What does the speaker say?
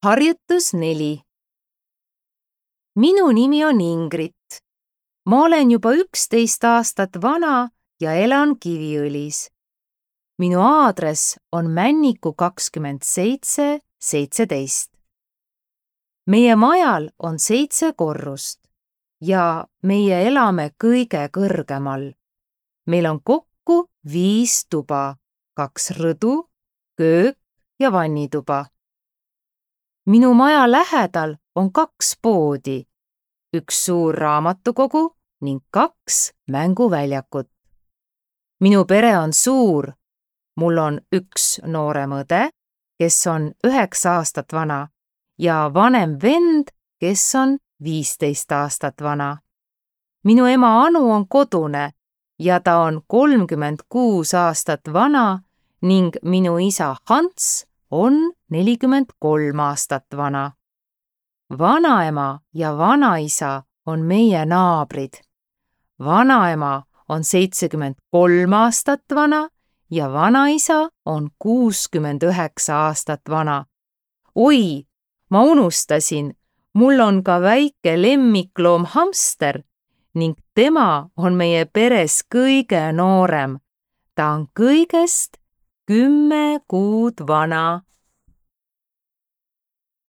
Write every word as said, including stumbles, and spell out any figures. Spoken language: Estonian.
Harjutus neli. Minu nimi on Ingrid. Ma olen juba üksteist aastat vana ja elan Kiviõlis. Minu aadress on Männiku kakskümmend seitse seitseteist. Meie majal on seitse korrust ja meie elame kõige kõrgemal. Meil on kokku viis tuba, kaks rõdu, köök ja vannituba. Minu maja lähedal on kaks poodi, üks suur raamatukogu ning kaks mänguväljakut. Minu pere on suur. Mul on üks noorem õde, kes on üheksa aastat vana ja vanem vend, kes on viisteist aastat vana. Minu ema Anu on kodune ja ta on kolmkümmend kuus aastat vana ning minu isa Hans on nelikümmend kolm aastat vana. Vanaema ja vanaisa on meie naabrid. Vanaema on seitsekümmend kolm aastat vana ja vanaisa on kuuskümmend üheksa aastat vana. Oi, ma unustasin, mul on ka väike lemmikloom hamster ning tema on meie peres kõige noorem. Ta on kõigest kümme kuud vana.